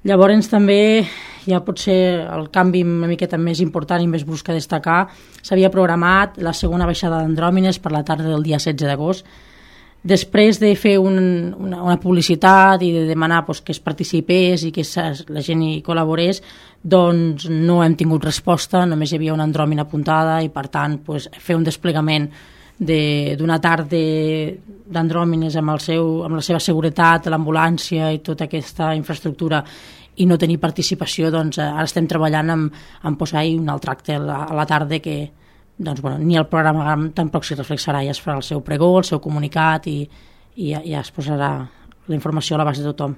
Llavors també ja potser el canvi una miqueta més important i més brusc a destacar, s'havia programat la segona baixada d'Andròmines per la tarda del dia 16 d'agost. Després de fer una publicitat i de demanar que es participés i que la gent hi col·laborés, doncs no hem tingut resposta, només hi havia una andròmina apuntada i per tant fer un desplegament d'una tarda d'andròmines amb la seva seguretat, l'ambulància i tota aquesta infraestructura i no tenir participació, doncs ara estem treballant en posar-hi un altre acte a la tarda que ni el programa tampoc s'hi reflexarà, ja es farà el seu pregó, el seu comunicat i ja es posarà la informació a l'abast de tothom.